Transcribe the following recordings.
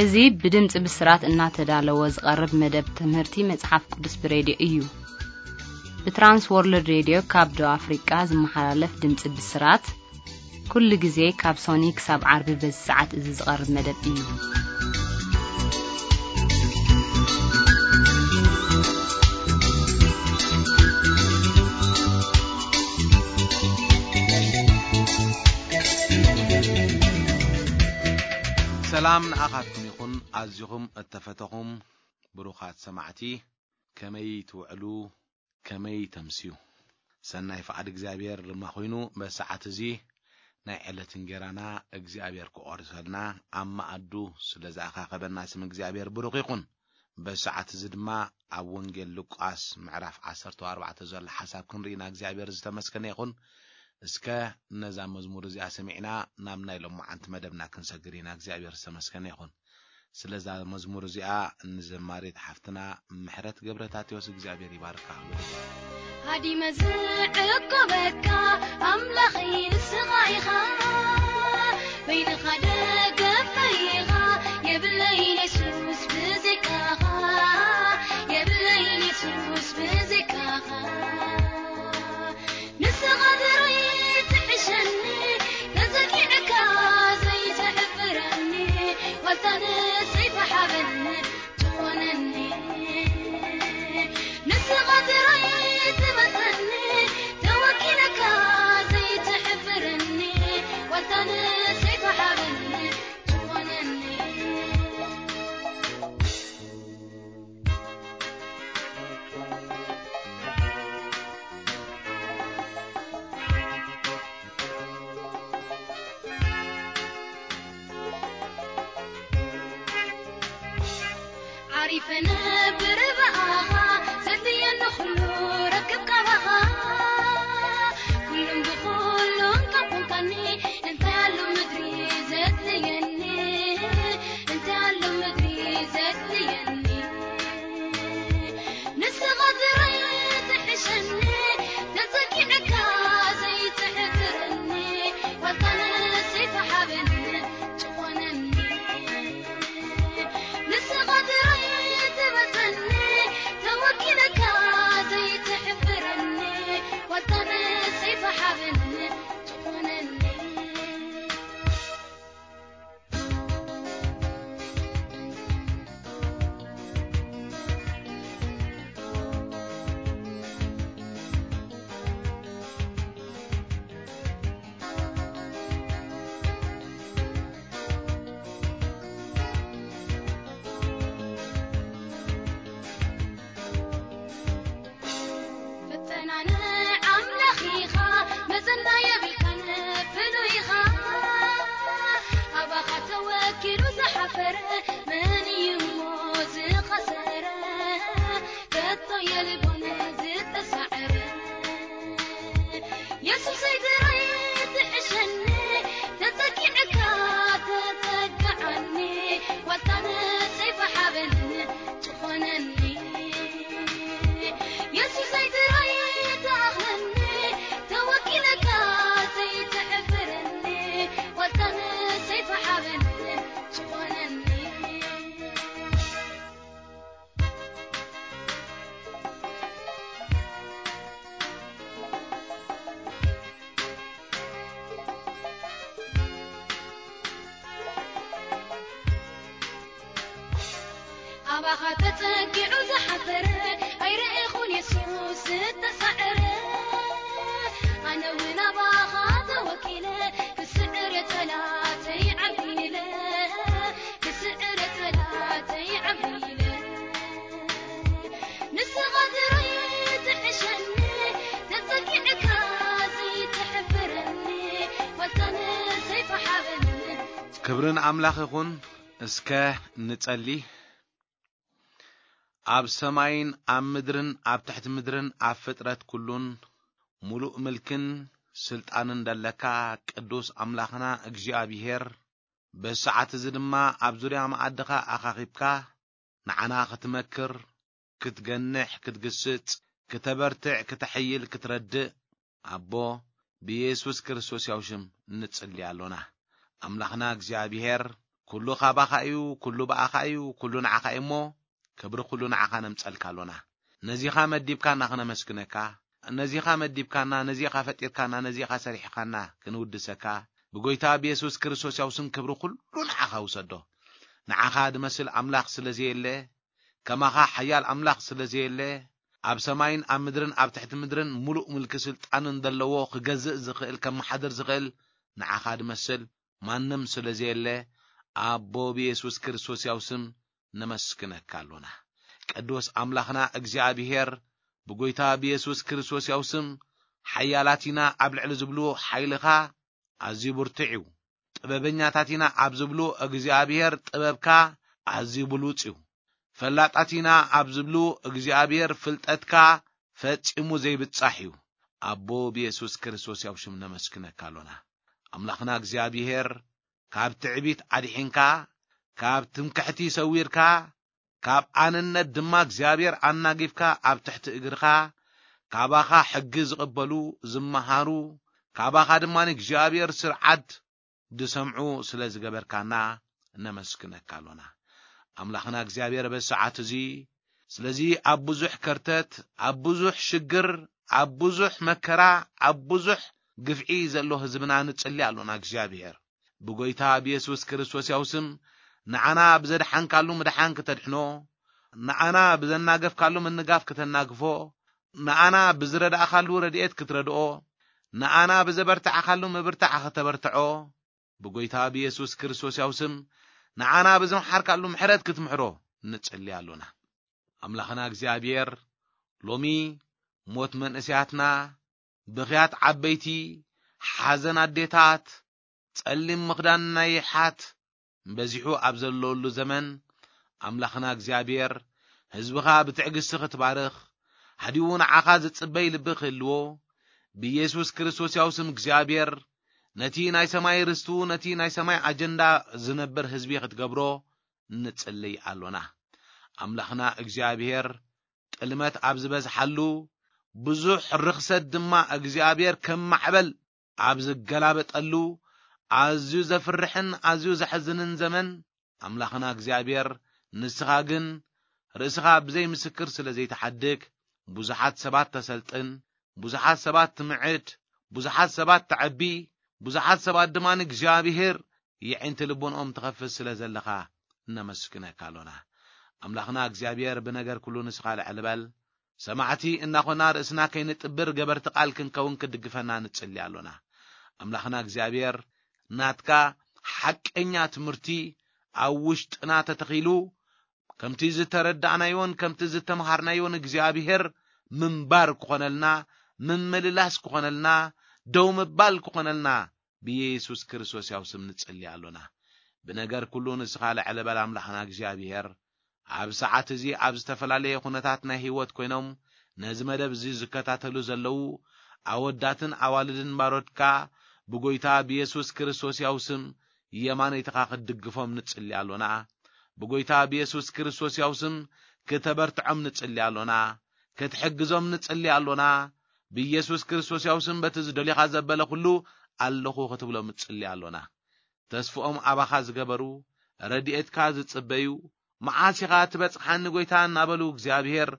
እዚ ብድምፂ ብስራት እናተዳለወ ዝቐርብ መደብ ትምህርቲ መፅሓፍ ቅዱስ ብሬድዮ እዩ። ብትራንስ ወርልድ ሬድዮ ካብ ደቡብ ኣፍሪቃ ዝመሓላለፍ ድምፂ ብስራት ኩሉ ግዜ ካብ ሶኒ ክሳብ ዓርቢ በዚ ሰዓት እዚ ዝቐርብ መደብ እዩ። ሰላም ንኣኻትኩም ይኹን። ኣዚኹም እተፈተኹም ብሩኻት ሰማዕቲ፣ ከመይ ትውዕሉ? ከመይ ተምስዩ? ሰናይ ፍቓድ እግዚኣብሔር ድማ ኮይኑ፣ በዚ ሰዓት እዚ ናይ ዕለት እንጌራና እግዚኣብሔር ክቖርሰልና ኣብ መኣዱ ስለ ዝኣኻኸበና ስም እግዚኣብሔር ብሩኽ ይኹን። በዚ ሰዓት እዚ ድማ ኣብ ወንጌል ሉቃስ ምዕራፍ ዓሰርተ ኣርባዕተ ዘሎ ሓሳብ ክንርኢ ኢና። እግዚኣብሔር ዝተመስገነ ይኹን። እስከ ነዛ መዝሙር እዚኣ ሰሚዕና ናብ ናይ ሎማዓንቲ መደብና ክንሰግር ኢና። እግዚኣብሔር ዝተመስገነ ይኹን። ስለዛ መዝሙር እዚኣ ንዘማሪት ሓፍትና ምሕረት ገብረታቴዎስ እግዚኣብሔር ይባርካ። ሃዲመ ዝዕቆበካ ኣምላኸይ ንስኻ ኢኻ፣ በይንኻ ደገፈይ ኢኻ፣ የብለይን የሱስ ብዘይካኻ፣ የብለይን የሱስ ብዘይካኻ። ንስኻ ጥራይ ትሕሸኒ፣ ተጸጊዕካ ዘይትሕብረኒ፣ ዋልታ ንሰይፊ ሓበን ትኾነኒ። ንስኻ ጥራይ ትበልጸኒ፣ ተወኪለካ ዘይትሕብረኒ፣ ዋልታ ንሰይፊ ሓበን ትኾነኒ። ዓሪፈ ነብር ብኣኻ፣ ዘድልየኒ ኩሉ ረክብ ካባኻ። ኩሉን ብኹሉን ካብ ኮንካኒ፣ እንታይ ኣሎ ምድሪ ዘድልየኒ? እንታይ ኣሎ ምድሪ ዘድልየኒ? ንስኻ ጥራይ ትሕሸኒ፣ ተጸጊዕካ ዘይትሕብረኒ፣ ዋልታ ንሰይፊ ሓበን ትኾነኒ። ንስኻ ጥራይ ትበልጸኒ፣ ተወኪለካ ዘይትሕብረኒ፣ ዋልታ ንሰይፊ ሓበን ትኾነኒ። ፈተና ንኣምላኽ ኢኻ፣ መዘና የብልካን ፍሉይ ኢኻ። ኣባኻ ተወኪሉ ዝሓፈረ መን እዩ እሞ ዝኸሰረ? ከቶ የልቦን ዝተሳዕረ። የሱሰይ ጥራይ ትሕሸኒ፣ ተጸጊዕካ ተጸግዓኒ፣ ዋልታ ንሰይፊ ሓበን ትኾነኒ። የሱሰይ ጥራይ ትኣኽለኒ፣ ተወኪለካ ዘይትሕብረኒ፣ ዋልታ ንሰይፊ ሓበን ትኾነኒ። ኣባኻ ተጸጊዑ ዝሓፈረ ኣይረኤኹን የሱስ ዝተሳዕረ። ኣነ እውን ኣባኻ ተወኪለ ክስዕር የጸላተይ ዓቢለ፣ ክስዕር የጸላተይ ዓቢለ። ንስኻ ጥራይ ትሕሸኒ፣ ተጸጊዕካ ዘይትሕብረኒ፣ ዋልታ ንሰይፊ ሓበን። ክብሪ ንኣምላኽ ይኹን። እስከ ንጸሊ። ኣብ ሰማይን ኣብ ምድርን ኣብ ትሕቲ ምድርን ኣብ ፍጥረት ኩሉን ምሉእ ምልክን ስልጣንን ደለካ ቅዱስ ኣምላኽና እግዚኣብሄር፣ በዚ ሰዓት እዚ ድማ ኣብ ዙርያ መኣድኻ ኣኻኺብካ ንዓና ክትመክር፣ ክትገንሕ፣ ክትግስጽ፣ ክተበርትዕ፣ ክተሐይል፣ ክትረድእ፣ ኣቦ፣ ብየሱስ ክርስቶስ ያው ሽም ንጽሊ ኣሎና። ኣምላኽና እግዚኣብሄር፣ ኩሉ ካባኻ እዩ፣ ኩሉ ብኣኻ እዩ፣ ኩሉ ንዓኻ እዩ እሞ፣ ክብሪ ኩሉ ንዓኻ ነምጸልካ ኣሎና። ነዚኻ መዲብካና ክነመስግነካ፣ ነዚኻ መዲብካና፣ ነዚኻ ፈጢርካና፣ ነዚኻ ሰሪሕኻና ክንውድሰካ፣ ብጎይታ ብየሱስ ክርስቶስ ያው ስም ክብሪ ኩሉ ንዓኻ ውሰዶ። ንዓኻ ድመስል ኣምላኽ ስለ ዘየለ፣ ከማኻ ሓያል ኣምላኽ ስለ ዘየለ፣ ኣብ ሰማይን ኣብ ምድርን ኣብ ትሕቲ ምድርን ምሉእ ምልኪ ስልጣንን ዘለዎ ክገዝእ ዝኽእል ከመሓድር ዝኽእል ንዓኻ ድመስል ማንም ስለ ዘየለ፣ ኣቦ ብየሱስ ክርስቶስ ያው ስም ነመስግነካ ኣሎና። ቅዱስ ኣምላኽና እግዚኣብሄር፣ ብጎይታ ብየሱስ ክርስቶስ ያው ስም ሓያላት ኢና ኣብ ልዕሊ ዝብሉ ሓይልኻ ኣዝዩ ብርቱዕ እዩ። ጥበበኛታት ኢና ኣብ ዝብሉ እግዚኣብሄር ጥበብካ ኣዝዩ ብሉጽ እዩ። ፈላጣት ኢና ኣብ ዝብሉ እግዚኣብሄር ፍልጠትካ ፈጺሙ ዘይብጻሕ እዩ። ኣቦ ብየሱስ ክርስቶስ ያው ሽም ነመስግነካ ኣሎና። ኣምላኽና እግዚኣብሄር፣ ካብ ትዕቢት ኣድሒንካ፣ ካብ ትምክሕቲ ሰዊርካ፣ ካብ ኣንነት ድማ እግዚኣብሔር ኣናጊፍካ ኣብ ትሕቲ እግርኻ፣ ካባኻ ሕጊ ዝቕበሉ፣ ዝመሃሩ፣ ካባኻ ድማ እግዚኣብሔር ስርዓት ዝሰምዑ ስለ ዝገበርካና ነመስግነካ ኣሎና። ኣምላኽና እግዚኣብሔር በዚ ሰዓት እዚ፣ ስለዚ ኣብ ብዙሕ ከርተት፣ ኣብ ብዙሕ ሽግር፣ ኣብ ብዙሕ መከራ፣ ኣብ ብዙሕ ግፍዒ ዘሎ ህዝብና ንጽሊ ኣሎና እግዚኣብሔር። ብጎይታ ብየሱስ ክርስቶስ ያው ስም፣ ንዓና ብዘድሓንካሉ ምድሓን ክተድሕኖ፣ ንዓና ብዘናገፍካሉ ምንጋፍ ክተናግፎ፣ ንዓና ብዝረዳእካሉ ረድኤት ክትረድኦ፣ ንዓና ብዘበርታዕካሉ ምብርታዕ ክተበርትዖ፣ ብጎይታ ብየሱስ ክርስቶስ ያው ስም፣ ንዓና ብዘምሓርካሉ ምሕረት ክትምሕሮ ንጽሊ ኣሎና። ኣምላኽና እግዚኣብሔር፣ ሎሚ ሞት መንእሰያትና፣ ብኽያት ዓበይቲ፣ ሓዘን ኣዴታት፣ ጸሊም ምኽዳን ናይ ይሓት በዚሑ ኣብ ዘለወሉ ዘመን፣ ኣምላኽና እግዚኣብሔር፣ ህዝብኻ ብትዕግስቲ ክትባርኽ፣ ሃዲኡ ንዓኻ ዝጽበይ ልቢ ክህልዎ፣ ብየሱስ ክርስቶስ ያው ስም እግዚኣብሔር፣ ነቲ ናይ ሰማይ ርስቱ፣ ነቲ ናይ ሰማይ ኣጀንዳ ዝነብር ህዝቢ ክትገብሮ ንጽልይ ኣሎና። ኣምላኽና እግዚኣብሔር፣ ጥልመት ኣብ ዝበዝሓሉ፣ ብዙሕ ርኽሰት ድማ እግዚኣብሔር ከም ማዕበል ኣብ ዝገላበጠሉ፣ ኣዝዩ ዘፍርሕን ኣዝዩ ዘሕዝንን ዘመን፣ ኣምላኽና እግዚኣብሔር፣ ንስኻ ግን ርእስኻ ብዘይ ምስክር ስለ ዘይትሓድግ፣ ብዙሓት ሰባት ተሰልጥን፣ ብዙሓት ሰባት ትምዕድ፣ ብዙሓት ሰባት ተዐቢ፣ ብዙሓት ሰባት ድማ ንእግዚኣብሔር የዒንቲ ልቦንኦም ትኸፍት ስለ ዘለኻ፣ እነመስግነካ ኣሎና። ኣምላኽና እግዚኣብሔር፣ ብነገር ኩሉ ንስኻ ልዕል በል። ሰማዕቲ እናኾና ርእስና ከይንጥብር ገበርቲ ቃል ክንከውን ክትድግፈና ንጽሊ ኣሎና። ኣምላኽና እግዚኣብሔር፣ ናትካ ሓቀኛ ትምህርቲ ኣብ ውሽጥና ተተኺሉ፣ ከምቲ ዝተረዳእናዮን ከምቲ ዝተምሃርናዮን እግዚኣብሔር ምንባር ክኾነልና፣ ምምልላስ ክኾነልና፣ ደው ምባል ክኾነልና፣ ብየሱስ ክርስቶስ ያው ስም ንጽሊ ኣሎና። ብነገር ኩሉ ንስኻ ልዕል በል ኣምላኽና እግዚኣብሔር። ኣብ ሰዓት እዚ ኣብ ዝተፈላለየ ኩነታት ናይ ህይወት ኮይኖም ነዚ መደብ እዚ ዝከታተሉ ዘለዉ ኣወዳትን ኣዋልድን ባሮድካ ብጎይታ ብየሱስ ክርስቶስ ያው ስም የማነይትኻ ክትድግፎም ንጽሊ ኣሎና። ብጎይታ ብየሱስ ክርስቶስ ያው ስም ክተበርትዖም ንጽሊ ኣሎና። ክትሕግዞም ንጽሊ ኣሎና። ብየሱስ ክርስቶስ ያው ስም በቲ ዝደልኻ ዘበለ ኩሉ ኣለኹ ክትብሎም ንጽሊ ኣሎና። ተስፍኦም ኣባኻ ዝገበሩ፣ ረድኤትካ ዝጽበዩ፣ መዓስ ኢኻ ትበጽሓኒ ጐይታ እናበሉ እግዚኣብሔር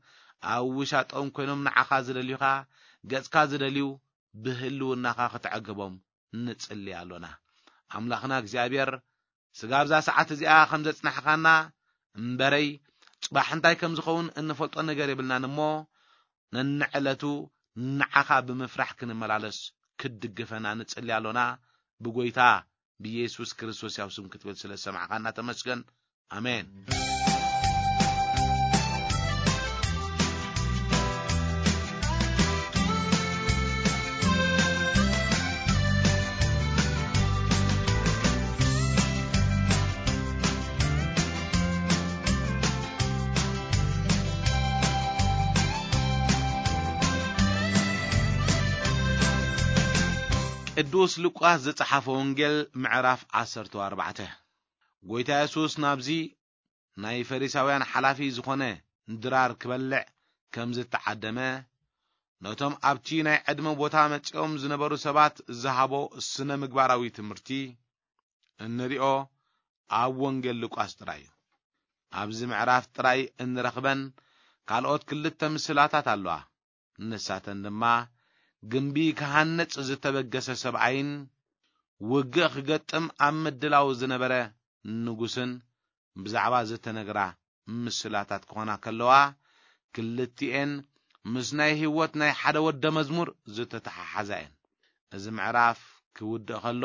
ኣብ ውሻጦም ኮይኖም ንዓኻ ዝደልዩኻ፣ ገጽካ ዝደልዩ ብህልውናኻ ክትዕግቦም ንጽሊ ኣሎና። ኣምላኽና እግዚኣብሔር፣ ስጋ ኣብዛ ሰዓት እዚኣ ከም ዘጽናሕኻና እምበረይ፣ ጽባሕ እንታይ ከም ዝኸውን እንፈልጦ ነገር የብልናን እሞ፣ ነንዕለቱ ንዓኻ ብምፍራሕ ክንመላለስ ክትድግፈና ንጽሊ ኣሎና። ብጐይታ ብየሱስ ክርስቶስ ያው ስም ክትብል ስለ ዝሰማዕኻና ተመስገን። ኣሜን። ቅዱስ ሉቃስ ዝጸሓፈ ወንጌል ምዕራፍ ዓሰርተ ኣርባዕተ። ጐይታ የሱስ ናብዚ ናይ ፈሪሳውያን ሓላፊ ዝኾነ ድራር ክበልዕ ከም ዝተዓደመ፣ ነቶም ኣብቲ ናይ ዕድመ ቦታ መጺኦም ዝነበሩ ሰባት ዝሃቦ ስነ ምግባራዊ ትምህርቲ እንሪኦ ኣብ ወንጌል ሉቃስ ጥራይ እዩ። ኣብዚ ምዕራፍ ጥራይ እንረኽበን ካልኦት ክልተ ምስላታት ኣለዋ። ንሳተን ድማ፣ ግምቢ ክሃንጽ ዝተበገሰ ሰብኣይን ውግእ ክገጥም ኣብ ምድላው ዝነበረ ንጉስን ብዛዕባ ዝተነግራ ምስላታት ክኾና ከለዋ፣ ክልቲኤን ምስ ናይ ህይወት ናይ ሓደ ወደ መዝሙር ዝተተሓሓዛ እየን። እዚ ምዕራፍ ክውድእ ከሎ፣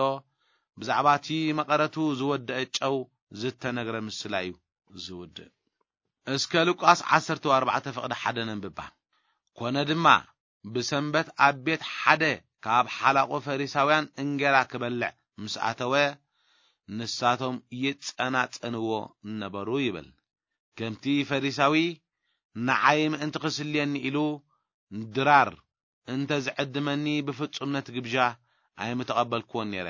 ብዛዕባ እቲ መቐረቱ ዝወደአ ጨው ዝተነግረ ምስላ እዩ ዝውድእ። እስከ ሉቃስ ዓሰርተ ኣርባዕተ ፍቕዲ ሓደ ነንብባ። ኮነ ድማ፣ ብሰንበት ኣብ ቤት ሓደ ካብ ሓላቑ ፈሪሳውያን እንጌራ ክበልዕ ምስ ኣተወ፣ ንሳቶም ይጸናጸንዎ ነበሩ ይብል። ከምቲ ፈሪሳዊ፣ ንዓይ ምእንቲ ክስልየኒ ኢሉ ድራር እንተ ዝዕድመኒ፣ ብፍጹም ነቲ ግብዣ ኣይምተቐበልክዎን ነይረ።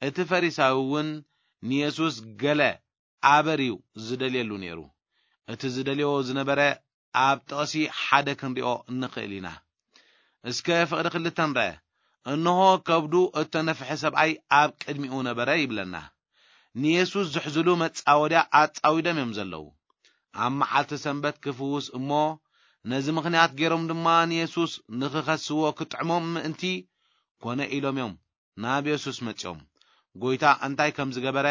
እቲ ፈሪሳዊ እውን ንየሱስ ገለ ኣበር እዩ ዝደልየሉ ነይሩ። እቲ ዝደልዮ ዝነበረ ኣብ ጥቕሲ ሓደ ክንሪኦ ንኽእል ኢና። እስከ ፍቕዲ ክልተ ንርአ። እንሆ፣ ከብዱ እተነፍሐ ሰብኣይ ኣብ ቅድሚኡ ነበረ ይብለና። ንየሱስ ዝሕዝሉ መጻወድያ ኣጻዊዶም እዮም ዘለዉ። ኣብ መዓልቲ ሰንበት ክፍውስ እሞ፣ ነዚ ምኽንያት ገይሮም ድማ ንየሱስ ንኽኸስዎ ክጥዕሞም ምእንቲ ኮነ ኢሎም እዮም ናብ የሱስ መጺኦም። ጎይታ እንታይ ከም ዝገበረ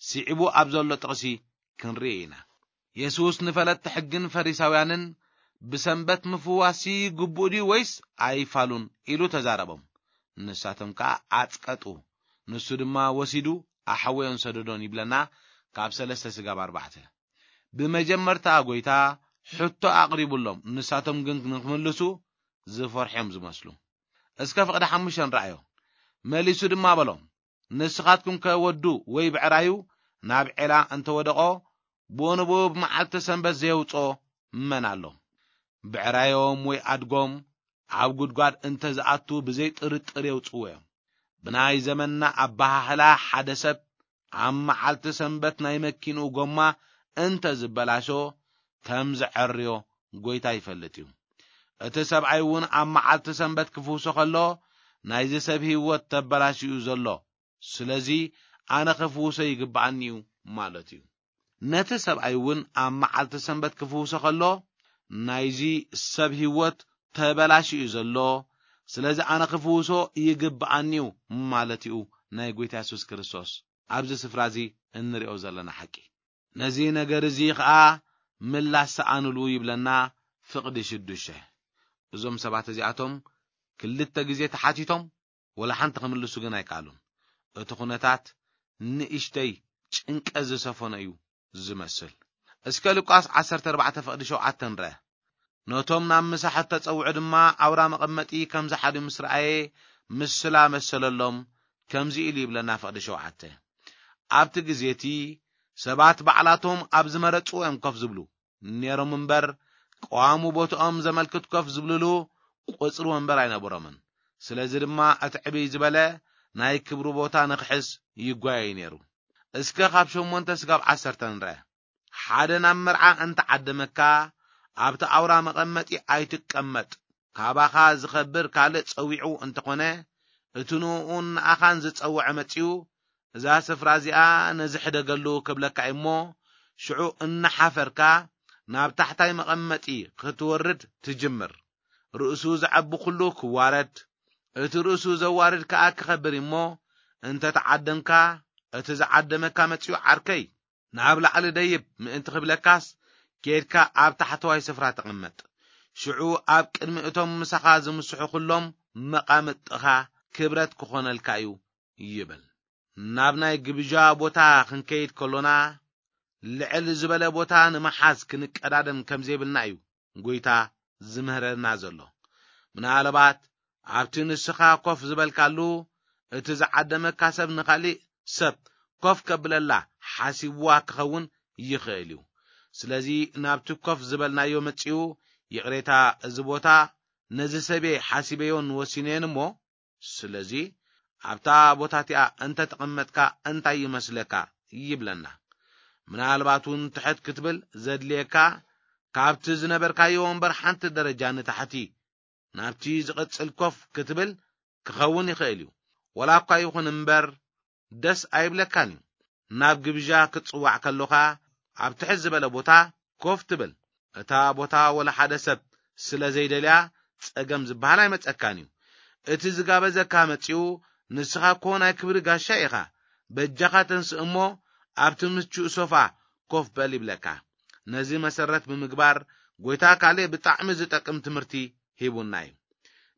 ስዒቡ ኣብ ዘሎ ጥቕሲ ክንርኢ ኢና። የሱስ ንፈለጥቲ ሕግን ፈሪሳውያንን፣ "ብሰንበት ምፍዋስሲ ግቡእ ድዩ ወይስ ኣይፋሉን?" ኢሉ ተዛረቦም። ንሳቶም ከኣ ኣጽቀጡ። ንሱ ድማ ወሲዱ ኣሕወዮን ሰደዶን ይብለና፣ ካብ ሰለስተ ስጋብ ኣርባዕተ። ብመጀመርታ ጎይታ ሕቶ ኣቕሪቡሎም፣ ንሳቶም ግን ንክምልሱ ዝፈርሑ እዮም ዝመስሉ። እስከ ፍቕዲ ሓሙሽተ ንርኣዮ። መሊሱ ድማ በሎም፣ "ንስኻትኩም ከ ወዱ ወይ ብዕራዩ ናብ ዔላ እንተወደቖ፣ ብኡ ንብኡ ብመዓልቲ ሰንበት ዘየውጽኦ መን ኣሎ? ብዕራዮም ወይ ኣድጎም ኣብ ጉድጓድ እንተ ዝኣቱ ብዘይ ጥርጥር የውጽዎ እዮም። ብናይ ዘመንና ኣበሃህላ ሓደ ሰብ ኣብ መዓልቲ ሰንበት ናይ መኪንኡ ጎማ እንተ ዝበላሾ ከም ዘዐርዮ ጎይታ ይፈልጥ እዩ። እቲ ሰብኣይ እውን ኣብ መዓልቲ ሰንበት ክፍውሶ ከሎ ናይዚ ሰብ ህይወት ተበላሽዩ ዘሎ። ስለዚ ኣነ ክፍውሶ ይግብኣኒ እዩ" ማለት እዩ። ነቲ ሰብኣይ እውን ኣብ መዓልቲ ሰንበት ክፍውሶ ከሎ ናይዚ ሰብ ህይወት ተበላሽዩ ዘሎ። ስለዚ ኣነ ክፍውሶ ይግብኣኒ እዩ ማለት እዩ ናይ ጎይታ የሱስ ክርስቶስ ኣብዚ ስፍራ እዚ እንሪኦ ዘለና ሓቂ። ነዚ ነገር እዚ ኸኣ ምላሽ ሰኣኑሉ ይብለና ፍቕዲ ሽዱሽተ። እዞም ሰባት እዚኣቶም ክልተ ግዜ ተሓቲቶም፣ ወላ ሓንቲ ክምልሱ ግን ኣይከኣሉን። እቲ ኩነታት ንእሽተይ ጭንቀት ዝሰፈኖ እዩ ዝመስል። እስከ ሉቃስ ዓሰርተ ኣርባዕተ ፍቕዲ ሸውዓተ ንርአ። ነቶም ናብ ምሳሕ እተጸውዑ ድማ ኣውራ መቐመጢ ከም ዝሓዱ ምስ ረኣየ፣ ምስላ መሰለሎም፣ ከምዚ ኢሉ ይብለና ፍቕዲ ሸውዓተ። ኣብቲ ግዜ እቲ ሰባት ባዕላቶም ኣብ ዝመረጽዎ እዮም ኮፍ ዝብሉ ነይሮም እምበር፣ ቀዋሚ ቦታኦም ዘመልክት ኮፍ ዝብልሉ ቁጽሪ ወንበር ኣይነበሮምን። ስለዚ ድማ እቲ ዕብይ ዝበለ ናይ ክብሪ ቦታ ንኽሕዝ ይጓየይ ነይሩ። እስከ ካብ ሸሞንተ ስጋብ ዓሰርተ ንርአ። ሓደ ናብ መርዓ እንተዓደመካ፣ ኣብቲ ኣውራ መቐመጢ ኣይትቀመጥ። ካባኻ ዝኸብር ካልእ ጸዊዑ እንተኾነ፣ እቲ ንእኡን ንኣኻን ዝጸውዐ መጺኡ፣ "እዛ ስፍራ እዚኣ ነዚ ሕደገሉ" ክብለካ እሞ፣ ሽዑ እናሓፈርካ ናብ ታሕታይ መቐመጢ ክትወርድ ትጅምር። ርእሱ ዘዐቢ ኩሉ ክዋረድ፣ እቲ ርእሱ ዘዋርድ ከኣ ክኸብር እሞ፣ እንተ ተዓደምካ፣ እቲ ዝዓደመካ መጺኡ፣ "ዓርከይ፣ ናብ ላዕሊ ደይብ" ምእንቲ ክብለካስ፣ ኬድካ ኣብ ታሕተዋይ ስፍራ ተቐመጥ። ሽዑ ኣብ ቅድሚ እቶም ምሳኻ ዝምስሑ ኩሎም መቓምጥኻ ክብረት ክኾነልካ እዩ ይብል። ናብ ናይ ግብዣ ቦታ ክንከይድ ከሎና፣ ልዕል ዝበለ ቦታ ንምሓዝ ክንቀዳደም ከም ዘይብልና እዩ ጎይታ ዝምህረና ዘሎ። ምናልባት ኣብቲ ንስኻ ኮፍ ዝበልካሉ፣ እቲ ዝዓደመካ ሰብ ንኻሊእ ሰብ ኮፍ ከብለላ ሓሲብዋ ክኸውን ይኽእል እዩ። ስለዚ ናብቲ ኮፍ ዝበልናዮ መጺኡ፣ "ይቕሬታ፣ እዚ ቦታ ነዚ ሰብየ ሓሲበዮን ወሲነዮን እሞ፣ ስለዚ ኣብታ ቦታ እቲኣ እንተ ተቐመጥካ እንታይ ይመስለካ?" ይብለና። ምናልባት እውን ትሕት ክትብል ዘድልየካ፣ ካብቲ ዝነበርካዮ ወንበር ሓንቲ ደረጃ ንታሕቲ ናብቲ ዝቕጽል ኮፍ ክትብል ክኸውን ይኽእል እዩ። ወላ እኳ ይኹን እምበር፣ ደስ ኣይብለካን እዩ። ናብ ግብዣ ክትጽዋዕ ከሎኻ ኣብ ትሕት ዝበለ ቦታ ኮፍ ትብል። እታ ቦታ ወላ ሓደ ሰብ ስለ ዘይደልያ ጸገም ዝበሃል ኣይመጸካን እዩ። እቲ ዝጋበዘካ መጺኡ፣ ንስኻ እኮ ናይ ክብሪ ጋሻ ኢኻ፣ በጃኻ ተንስእ እሞ ኣብቲ ምቹእ ሶፋ ኮፍ በል ይብለካ። ነዚ መሰረት ብምግባር ጎይታ ካልእ ብጣዕሚ ዝጠቅም ትምህርቲ ሂቡና እዩ።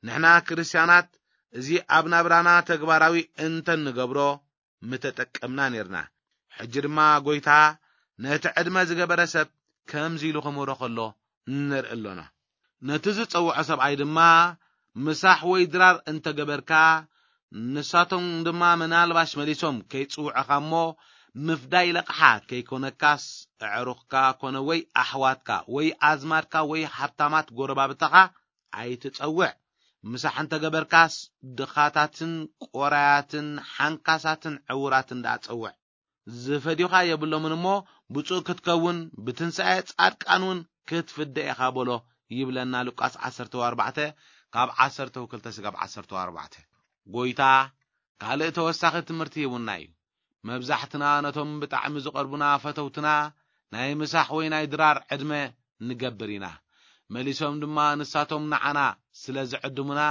ንሕና ክርስትያናት እዚ ኣብ ናብራና ተግባራዊ እንተንገብሮ ምተጠቀምና ኔርና። ሕጂ ድማ ጎይታ ነቲ ዕድመ ዝገበረ ሰብ ከምዚ ኢሉ ክምህሮ ከሎ ንርኢ ኣሎና። ነቲ ዝጸውዖ ሰብኣይ ድማ ምሳሕ ወይ ድራር እንተገበርካ፣ ንሳቶም ድማ ምናልባሽ መሊሶም ከይጽውዑኻ እሞ ምፍዳይ ለቕሓ ከይኮነካስ፣ ኣዕሩኽካ ኮነ ወይ ኣሕዋትካ ወይ ኣዝማድካ ወይ ሃብታማት ጎረባብትኻ ኣይትጸውዕ። ምሳሕ እንተገበርካስ ድኻታትን ቆራያትን ሓንካሳትን ዕውራትን ደኣ ጸውዕ። ዝፈድዩኻ የብሎምን እሞ ብፁዕ ክትከውን ብትንሳኤ ጻድቃን እውን ክትፍደ ኢኻ በሎ ይብለና ሉቃስ ዓሰርተ ኣርባዕተ ካብ ዓሰርተ ክልተ ስጋብ ዓሰርተ ኣርባዕተ። ጎይታ ካልእ ተወሳኺ ትምህርቲ ሂቡና እዩ። መብዛሕትና ነቶም ብጣዕሚ ዝቐርቡና ፈተውትና ናይ ምሳሕ ወይ ናይ ድራር ዕድመ ንገብር ኢና። መሊሶም ድማ ንሳቶም ንዓና ስለ ዝዕድሙና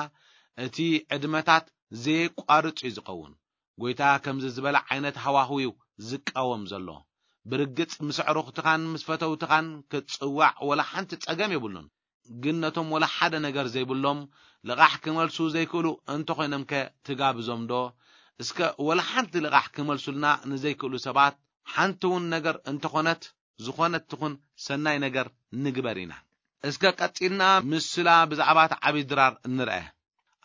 እቲ ዕድመታት ዘየቋርጽ እዩ ዝኸውን። ጎይታ ከምዚ ዝበለ ዓይነት ሃዋህው እዩ ዝቃወም ዘሎ። ብርግጽ ምስ ኣዕሩኽትኻን ምስ ፈተውትኻን ክትጽዋዕ ወላ ሓንቲ ጸገም የብሉን። ግን ነቶም ወላ ሓደ ነገር ዘይብሎም ልቓሕ ክመልሱ ዘይክእሉ እንተኾይኖምከ ትጋብዞም ዶ? እስከ ወላ ሓንቲ ልቓሕ ክመልሱልና ንዘይክእሉ ሰባት ሓንቲ እውን ነገር እንተኾነት፣ ዝኾነት ትኹን ሰናይ ነገር ንግበር ኢና። እስከ ቀጺልና ምስላ ብዛዕባ እቲ ዓቢ ድራር ንርአ።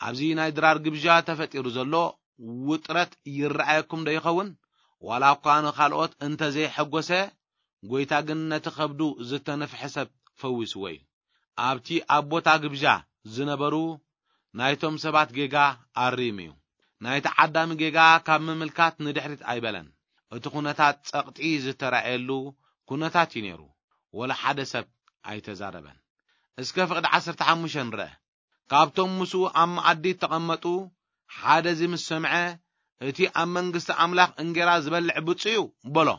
ኣብዚ ናይ ድራር ግብዣ ተፈጢሩ ዘሎ ውጥረት ይረኣየኩም ዶ ይኸውን? ዋላ እኳ ንኻልኦት እንተ ዘይሐጎሰ፣ ጎይታ ግን ነቲ ከብዱ ዝተነፍሐ ሰብ ፈዊስዎ እዩ። ኣብቲ ኣብ ቦታ ግብዣ ዝነበሩ ናይቶም ሰባት ጌጋ ኣሪሙ እዩ። ናይቲ ዓዳሚ ጌጋ ካብ ምምልካት ንድሕሪት ኣይበለን። እቲ ኩነታት ጸቕጢ ዝተራእየሉ ኩነታት እዩ ነይሩ። ወላ ሓደ ሰብ ኣይተዛረበን። እስከ ፍቕዲ ዓሰርተ ሓሙሽተ ንርአ። ካብቶም ምስኡ ኣብ መኣዲ እተቐመጡ ሓደ እዚ ምስ ሰምዐ፣ "እቲ ኣብ መንግስቲ ኣምላኽ እንጌራ ዝበልዕ ብፁዕ እዩ" በሎ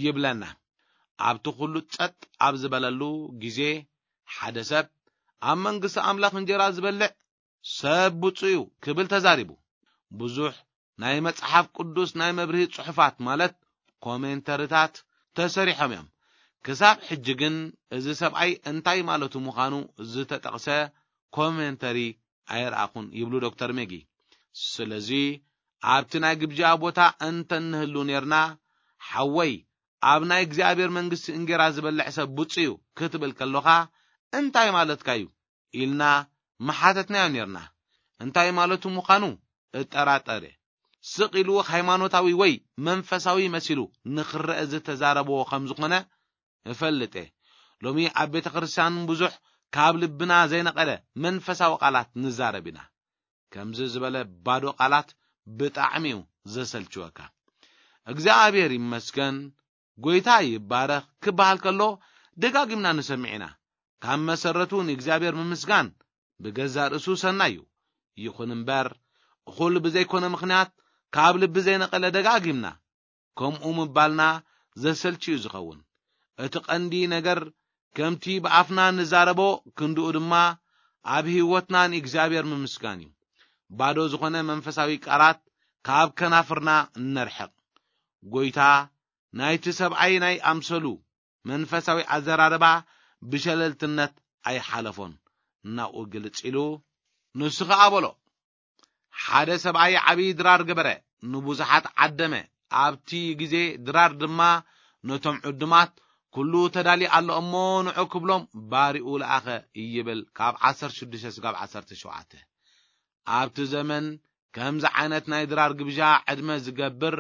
ይብለና። ኣብቲ ኩሉ ጸጥ ኣብ ዝበለሉ ግዜ ሓደ ሰብ፣ "ኣብ መንግስቲ ኣምላኽ እንጌራ ዝበልዕ ሰብ ብፁዕ እዩ" ክብል ተዛሪቡ። ብዙሕ ናይ መጽሓፍ ቅዱስ ናይ መብርሂ ጽሑፋት ማለት ኮሜንተሪታት ተሰሪሖም እዮም። ክሳብ ሕጂ ግን እዚ ሰብኣይ እንታይ ማለቱ ምዃኑ ዝተጠቕሰ ኮሜንተሪ ኣይረኣኹን ይብሉ ዶክተር ሜጊ። ስለዚ ኣብቲ ናይ ግብጃ ቦታ እንተ ንህሉ ኔርና፣ "ሓወይ፣ ኣብ ናይ እግዚኣብሔር መንግስቲ እንጌራ ዝበልዕ ሰብ ብፁዕ እዩ" ክትብል ከሎኻ እንታይ ማለትካ እዩ? ኢልና ምሓተትናዮ ኔርና። እንታይ ማለቱ ምዃኑ እጠራጠር እየ። ስቕ ኢሉ ሃይማኖታዊ ወይ መንፈሳዊ መሲሉ ንኽረአ ዝተዛረቦ ከም ዝኾነ እፈልጥ እየ። ሎሚ ኣብ ቤተ ክርስቲያን ብዙሕ ካብ ልብና ዘይነቐለ መንፈሳዊ ቃላት ንዛረብ ኢና። ከምዚ ዝበለ ባዶ ቃላት ብጣዕሚ እዩ ዘሰልችወካ። እግዚኣብሔር ይመስገን፣ ጎይታ ይባረኽ ክበሃል ከሎ ደጋጊምና ንሰምዕ ኢና። ካብ መሰረቱ ንእግዚኣብሔር ምምስጋን ብገዛእ ርእሱ ሰናይ እዩ። ይኹን እምበር፣ እኹል ብዘይኮነ ምኽንያት ካብ ልቢ ዘይነቐለ ደጋጊምና ከምኡ ምባልና ዘሰልች እዩ ዝኸውን። እቲ ቀንዲ ነገር ከምቲ ብኣፍና ንዛረቦ ክንድኡ ድማ ኣብ ህይወትና ንእግዚኣብሔር ምምስጋን እዩ። ባዶ ዝኾነ መንፈሳዊ ቃላት ካብ ከናፍርና ነርሕቕ። ጎይታ ናይቲ ሰብኣይ ናይ ኣምሰሉ መንፈሳዊ ኣዘራርባ ብሸለልትነት ኣይሓለፎን። ናብኡ ግልጽ ኢሉ ንሱ ኸኣ በሎ፣ ሓደ ሰብኣይ ዓብዪ ድራር ገበረ፣ ንብዙሓት ዓደመ። ኣብቲ ግዜ ድራር ድማ ነቶም ዕዱማት፣ "ኩሉ ተዳልዩ ኣሎ እሞ ንዑ" ክብሎም ባሪኡ ለኣኸ ይብል። ካብ ዓሰርተ ሽዱሽተ ስጋብ ዓሰርተ ሸውዓተ። ኣብቲ ዘመን ከምዚ ዓይነት ናይ ድራር ግብዣ ዕድመ ዝገብር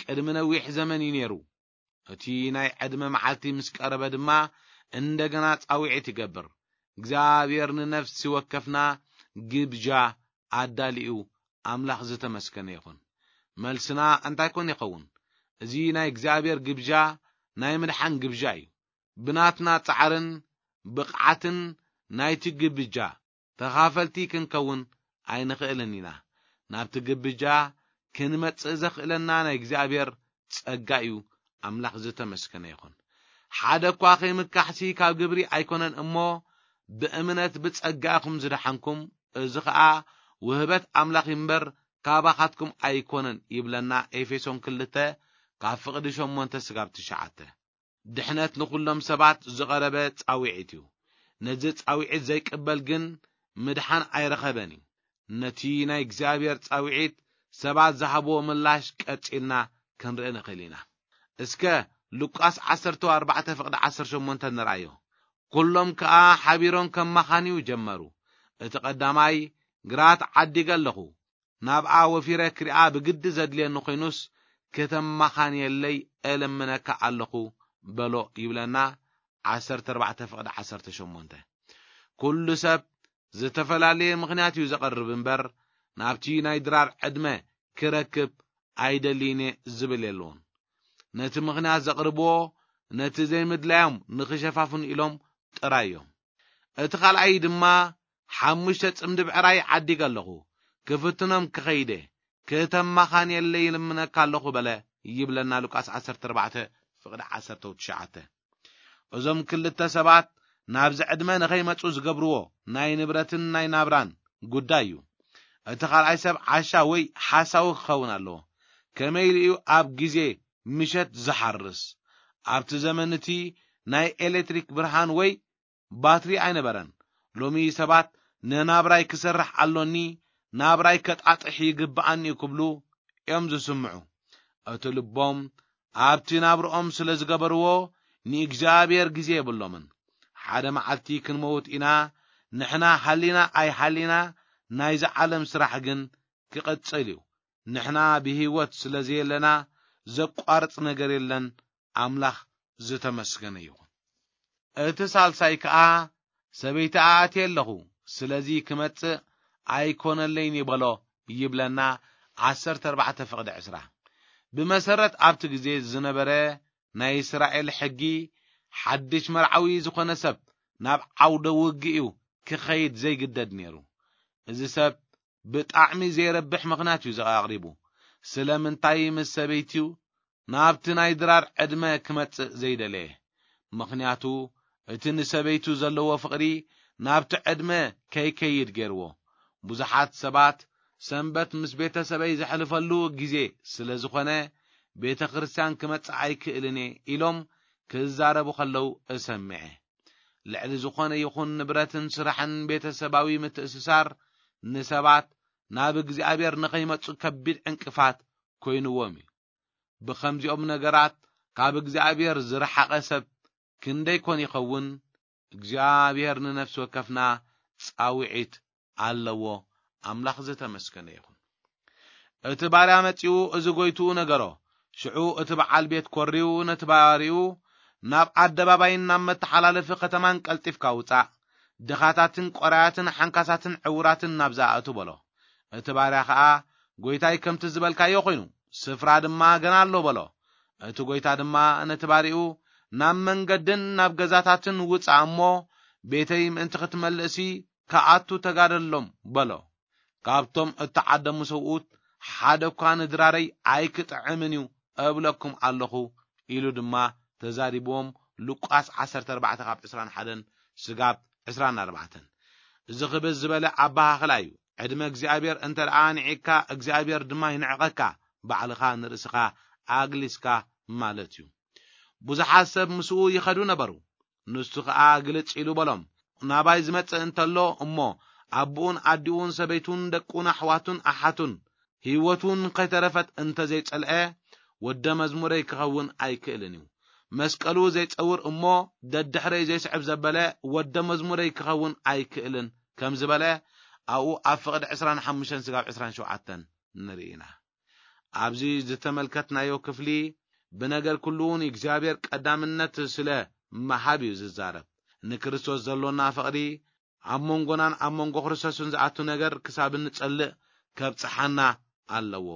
ቅድሚ ነዊሕ ዘመን እዩ ነይሩ። እቲ ናይ ዕድመ መዓልቲ ምስ ቀረበ ድማ እንደገና ጻውዒት ይገብር። እግዚኣብሔር ንነፍሲ ወከፍና ግብጃ ኣዳሊኡ ኣምላኽ ዝተመስገነ ይኹን። መልስና እንታይ ኮን ይኸውን? እዚ ናይ እግዚኣብሔር ግብጃ ናይ ምድሓን ግብጃ እዩ። ብናትና ጻዕርን ብቕዓትን ናይቲ ግብጃ ተኻፈልቲ ክንከውን ኣይንኽእልን ኢና። ናብቲ ግብጃ ክንመጽእ ዘኽእለና ናይ እግዚኣብሔር ጸጋ እዩ ኣምላኽ ዝተመስገነ ይኹን። ሓደ እኳ ከይምካሕሲ ካብ ግብሪ ኣይኮነን እሞ፣ ብእምነት ብጸጋ ኢኹም ዝደሓንኩም፣ እዚ ኸኣ ውህበት ኣምላኽ እምበር ካባኻትኩም ኣይኮነን ይብለና ኤፌሶን ክልተ ካብ ፍቕዲ ሸሞንተ ስጋብ ትሽዓተ። ድሕነት ንኹሎም ሰባት ዝቐረበ ጻውዒት እዩ። ነዚ ጻውዒት ዘይቅበል ግን ምድሓን ኣይረኸበን እዩ። ነቲ ናይ እግዚኣብሔር ጻውዒት ሰባት ዝሃብዎ ምላሽ ቀጺልና ክንርኢ ንኽእል ኢና። እስከ ሉቃስ ዓሰርተ ኣርባዕተ ፍቕዲ ዓሰርተ ሸሞንተ ንርኣዮ። ኩሎም ከኣ ሓቢሮም ከማኻንዩ ጀመሩ። እቲ ቀዳማይ፣ ግራት ዓዲገ ኣለኹ፣ ናብኣ ወፊረ ክሪኣ ብግዲ ዘድልየኒ ኮይኑስ፣ ከተማኻንየለይ እልምነካ ኣለኹ በሎ ይብለና። ዓሰርተ ኣርባዕተ ፍቕዲ ዓሰርተ ሸሞንተ። ኩሉ ሰብ ዝተፈላለየ ምኽንያት እዩ ዘቐርብ እምበር፣ ናብቲ ናይ ድራር ዕድመ ክረክብ ኣይደልይን እየ ዝብል የለዎን። ነቲ ምኽንያት ዘቕርብዎ ነቲ ዘይምድላዮም ንኽሸፋፍኑ ኢሎም ጥራይ እዮም። እቲ ካልኣይ ድማ፣ ሓሙሽተ ጽምዲ ብዕራይ ዓዲገ ኣለኹ፣ ክፍትኖም ክኸይደ፣ ክተማኻንየለይ ይልምነካ ኣለኹ በለ ይብለና ሉቃስ ዓሰርተ ኣርባዕተ ፍቕዲ ዓሰርተ ትሽዓተ። እዞም ክልተ ሰባት ናብዚ ዕድመ ንኸይመጹ ዝገብርዎ ናይ ንብረትን ናይ ናብራን ጉዳይ እዩ። እቲ ካልኣይ ሰብ ዓሻ ወይ ሓሳዊ ክኸውን ኣለዎ። ከመይ ኢሉ እዩ ኣብ ግዜ ምሸት ዝሓርስ? ኣብቲ ዘመን እቲ ናይ ኤሌክትሪክ ብርሃን ወይ ባትሪ ኣይነበረን። ሎሚ ሰባት ንናብራይ ክሰርሕ ኣሎኒ፣ ናብራይ ከጣጥሕ ይግብኣኒ እዩ ክብሉ እዮም ዝስምዑ። እቲ ልቦም ኣብቲ ናብርኦም ስለ ዝገበርዎ ንእግዚኣብሔር ግዜ የብሎምን። ሓደ መዓልቲ ክንመውት ኢና። ንሕና ሃሊና ኣይሃሊና ናይዚ ዓለም ስራሕ ግን ክቕጽል እዩ። ንሕና ብህይወት ስለ ዘየለና ዘቋርጽ ነገር የለን። ኣምላኽ ዝተመስገነ ይኹን። እቲ ሳልሳይ ከኣ ሰበይቲ ኣእትየ ኣለኹ፣ ስለዚ ክመጽእ ኣይኮነለይን ይበሎ ይብለና። ዓሰርተ ኣርባዕተ ፍቕዲ ዕስራ። ብመሰረት ኣብቲ ግዜ ዝነበረ ናይ እስራኤል ሕጊ፣ ሓድሽ መርዓዊ ዝኾነ ሰብ ናብ ዓውደ ውግእ እዩ ክኸይድ ዘይግደድ ነይሩ። እዚ ሰብ ብጣዕሚ ዘይረብሕ ምኽንያት እዩ ኣቕሪቡ። ስለምንታይ ምስ ሰበይትዩ ናብቲ ናይ ድራር ዕድመ ክመጽእ ዘይደለየ? ምኽንያቱ እቲ ንሰበይቱ ዘለዎ ፍቕሪ ናብቲ ዕድመ ከይከይድ ገይርዎ። ብዙሓት ሰባት ሰንበት ምስ ቤተሰበይ ዘሕልፈሉ ግዜ ስለ ዝኾነ ቤተ ክርስቲያን ክመጽእ ኣይክእልን እየ ኢሎም ክዛረቡ ከለዉ እሰምዐ። ልዕሊ ዝኾነ ይኹን ንብረትን ስራሕን ቤተሰባዊ ምትእስሳር ንሰባት ናብ እግዚኣብሔር ንኸይመጹ ከቢድ ዕንቅፋት ኮይንዎም እዩ። ብኸምዚኦም ነገራት ካብ እግዚኣብሔር ዝረሓቐ ሰብ ክንደይ ኮን ይኸውን? እግዚኣብሔር ንነፍሲ ወከፍና ጻውዒት ኣለዎ። ኣምላኽ ዝተመስገነ ይኹን። እቲ ባርያ መጺኡ እዚ ጎይትኡ ነገሮ። ሽዑ እቲ በዓል ቤት ኮሪው ነቲ ባርይኡ፣ ናብ ኣደባባይን ናብ መተሓላለፊ ከተማን ቀልጢፍካ ውጻእ። ድኻታትን ቆራያትን ሓንካሳትን ዕውራትን ናብዛ ኣእቱ በሎ። እቲ ባርያ ኸኣ፣ ጎይታይ ከምቲ ዝበልካዮ ኾይኑ፣ ስፍራ ድማ ገና ኣሎ በሎ። እቲ ጎይታ ድማ ነቲ ባርይኡ፣ ናብ መንገድን ናብ ገዛታትን ውጻእ እሞ፣ ቤተይ ምእንቲ ክትመልእሲ ክኣቱ ተጋደሎም በሎ። ካብቶም እተዓደሙ ሰብኡት ሓደ እኳ ንድራረይ ኣይክጥዕምን እዩ እብለኩም ኣለኹ ኢሉ ድማ ተዛሪብዎም። ሉቃስ ዓሰርተ ኣርባዕተ ካብ ዕስራን ሓደን ስጋብ ዕስራን ኣርባዕተን። እዚ ክብዝ ዝበለ ኣበሃህላ እዩ። ዕድመ እግዚኣብሔር እንተ ደኣ ንዒቕካ እግዚኣብሔር ድማ ይንዕቐካ፣ ባዕልኻ ንርእስኻ ኣግሊስካ ማለት እዩ። ብዙሓት ሰብ ምስኡ ይኸዱ ነበሩ። ንሱ ኸኣ ግልጽ ኢሉ በሎም፣ ናባይ ዝመጽእ እንተሎ እሞ ኣቦኡን ኣዲኡን ሰበይቱን ደቁን ኣሕዋቱን ኣሓቱን ህይወቱን ከይተረፈት እንተ ዘይጸልአ ወደ መዝሙረይ ክኸውን ኣይክእልን እዩ። መስቀሉ ዘይጸውር እሞ ደድሕረይ ዘይስዕብ ዘበለ ወደ መዝሙረይ ክኸውን ኣይክእልን ከም ዝበለ ኣብኡ ኣብ ፍቕዲ ዕስራን ሓሙሽተን ስጋብ ዕስራን ሸውዓተን ንርኢ ኢና። ኣብዚ ዝተመልከትናዮ ክፍሊ ብነገር ኩሉ ንእግዚኣብሔር ቀዳምነት ስለ ምሃብ እዩ ዝዛረብ። ንክርስቶስ ዘሎና ፍቕሪ ኣብ መንጎናን ኣብ መንጎ ክርስቶስን ዝኣቱ ነገር ክሳብ እንጸልእ ከብጽሓና ኣለዎ።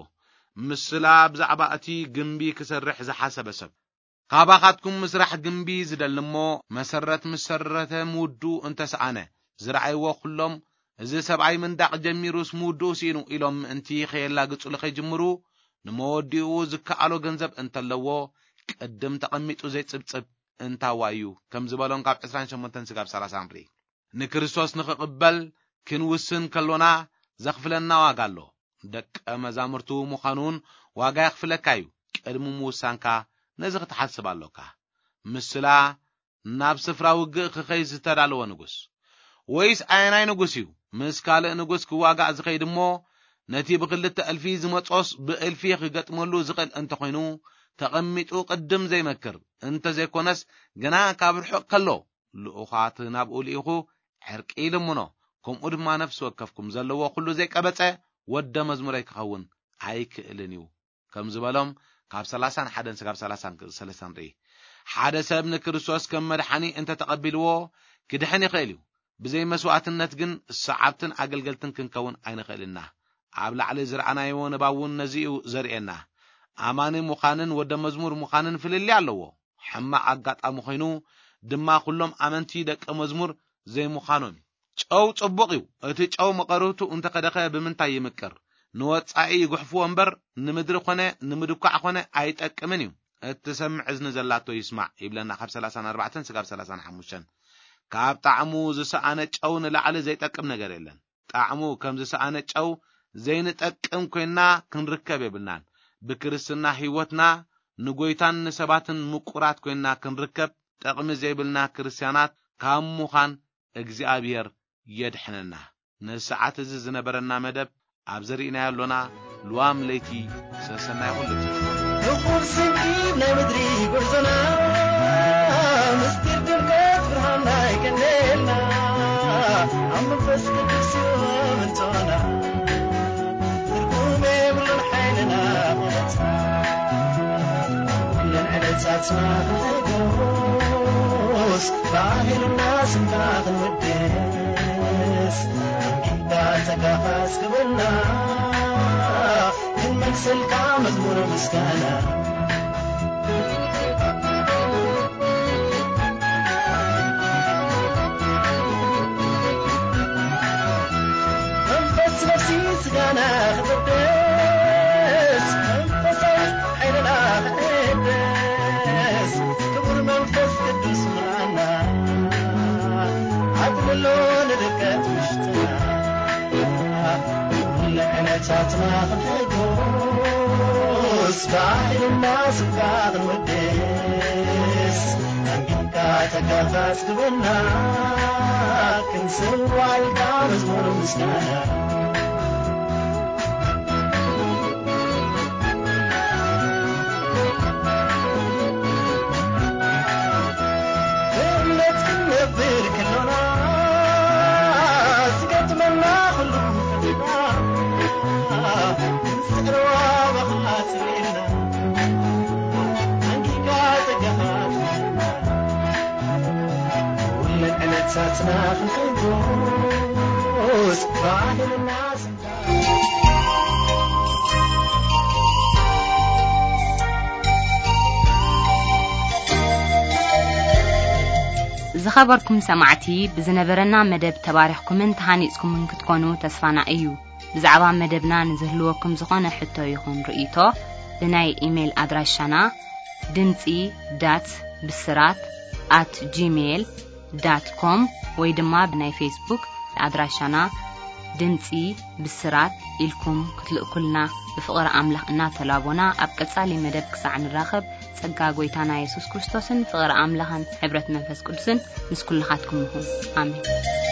ምስላ ብዛዕባ እቲ ግምቢ ክሰርሕ ዝሓሰበ ሰብ። ካባኻትኩም ምስራሕ ግምቢ ዝደሊ እሞ መሰረት ምስ ሰረተ ምውድኡ እንተሰኣነ፣ ዝረኣይዎ ኩሎም፣ እዚ ሰብኣይ ምንዳቕ ጀሚሩስ ምውድኡ ስኢኑ ኢሎም ምእንቲ ከየላግጹሉ ከይጅምሩ፣ ንመወዲኡ ዝከኣሎ ገንዘብ እንተለዎ፣ ቅድም ተቐሚጡ ዘይጽብጽብ እንታዋይ እዩ ከም ዝበሎም ካብ ዕስራን ሸሞንተን ስጋብ ሰላሳን ርኢ። ንክርስቶስ ንኽቕበል ክንውስን ከሎና ዘኽፍለና ዋጋ ኣሎ። ደቀ መዛሙርቱ ምዃን እውን ዋጋ የኽፍለካ እዩ። ቅድሚ ምውሳንካ ነዚ ክትሓስብ ኣሎካ። ምስላ ናብ ስፍራ ውግእ ክኸይ ዝተዳለወ ንጉስ? ወይስ ኣየናይ ንጉስ እዩ ምስ ካልእ ንጉስ ክዋጋእ ዝኸይድ እሞ ነቲ ብክልተ እልፊ ዝመጾስ ብእልፊ ክገጥመሉ ዝኽእል እንተኾይኑ ተቐሚጡ ቅድም ዘይመክር እንተዘይኮነስ ገና ካብ ርሑቕ ከሎ ልኡኻት ናብኡ ልኢኹ ዕርቂ ይልምኖ፣ ከምኡ ድማ ነፍሲ ወከፍኩም ዘለዎ ኩሉ ዘይቀበጸ ወደ መዝሙረይ ክኸውን ኣይክእልን እዩ ከም ዝበሎም ካብ ሰላሳን ሓደን ስጋብ ሰላሳን ሰለስተን ርኢ። ሓደ ሰብ ንክርስቶስ ከም መድሓኒ እንተተቐቢልዎ ክድሕን ይኽእል እዩ። ብዘይ መስዋዕትነት ግን ሰዓብትን ኣገልገልትን ክንከውን ኣይንኽእልና። ኣብ ላዕሊ ዝረኣናዮ ንባብ እውን ነዚ እዩ ዘርእየና። ኣማኒ ምዃንን ወደ መዝሙር ምዃንን ፍልልይ ኣለዎ። ሕማቕ ኣጋጣሚ ኮይኑ ድማ ኩሎም ኣመንቲ ደቀ መዝሙር ዘይምዃኖም እዩ። ጨው ጽቡቕ እዩ። እቲ ጨው መቐርብቱ እንተኸደኸ ብምንታይ ይምቅር? ንወጻኢ ይጉሕፍዎ እምበር ንምድሪ ኾነ ንምድኳዕ ኾነ ኣይጠቅምን እዩ። እትሰምዕ እዝኒ ዘላቶ ይስማዕ ይብለና ካብ ሰላሳን ኣርባዕተን ስጋብ ሰላሳን ሓሙሽተን። ካብ ጣዕሙ ዝሰኣነ ጨው ንላዕሊ ዘይጠቅም ነገር የለን። ጣዕሙ ከም ዝሰኣነ ጨው ዘይንጠቅም ኮይና ክንርከብ የብልናን። ብክርስትና ህይወትና ንጎይታን ንሰባትን ምቁራት ኮይና ክንርከብ ጠቕሚ ዘይብልና ክርስትያናት ካብ ምዃን እግዚኣብሔር የድሕነና። ንሰዓት እዚ ዝነበረና መደብ ኣብ ዘርኢናዮ ኣሎና። ልዋም ለይቲ ሰሰናይ ኩሉ። ንኹል ስንኪብ ናይ ምድሪ ጉዕዞና ምስጢር ድምቀት ብርሃንና ይቀነየልና። ኣብ መንፈስ ቅዱስ ይመንጽና። ትርጉም የብሉን ሓይልና መለሳ። ኩለን ዕለታትና ክንሕጎስ፣ ባህልና ስምካ ክንውድስ፣ ኣንጊድካ ጸጋኻ ኣስግበና፣ ክንመልሰልካ መዝሙር ምስጋና። መንፈስ ነፍሲ ስጋና ክቕደስ፣ መንፈሳዊ ሓይልና ክሕደስ፣ ክቡር መንፈስ ቅዱስ ምርኣና፣ ኣጥልሎ ንድቀት ውሽጥና፣ ኩሉ ዕለታትና ክንሕጎስ፣ ባህልና ስምካ ክንወድስ፣ ኣንጊድካ ጸጋኻ ኣስግበና፣ ክንስዋልካ መዝሙር ምስጋና። ብእምነት ክንነብር ከሎና፣ ዝገጥመና ኩሉ ፈተና፣ ክንስዕሮ ባኻ ጽሊእና፣ ኣንጊድካ ጸጋኻ ትመልሰና። ኩለን ዕለታትና ክንሕጎስ፣ ባህልና ስምካ። ዝኸበርኩም ሰማዕቲ፣ ብዝነበረና መደብ ተባሪኽኩምን ተሃኒጽኩምን ክትኮኑ ተስፋና እዩ። ብዛዕባ መደብና ንዝህልወኩም ዝኾነ ሕቶ ይኹን ርእይቶ፣ ብናይ ኢሜይል ኣድራሻና ድምጺ ዳት ብስራት ኣት ጂሜይል ዳት ኮም ወይ ድማ ብናይ ፌስቡክ ኣድራሻና ድምጺ ብስራት ኢልኩም ክትልእኩልና ብፍቕሪ ኣምላኽ እናተላቦና፣ ኣብ ቀጻሊ መደብ ክሳዕ ንራኸብ፣ ጸጋ ጎይታና የሱስ ክርስቶስን ፍቕሪ ኣምላኽን ሕብረት መንፈስ ቅዱስን ምስ ኩልኻትኩም ይኹን። ኣሜን።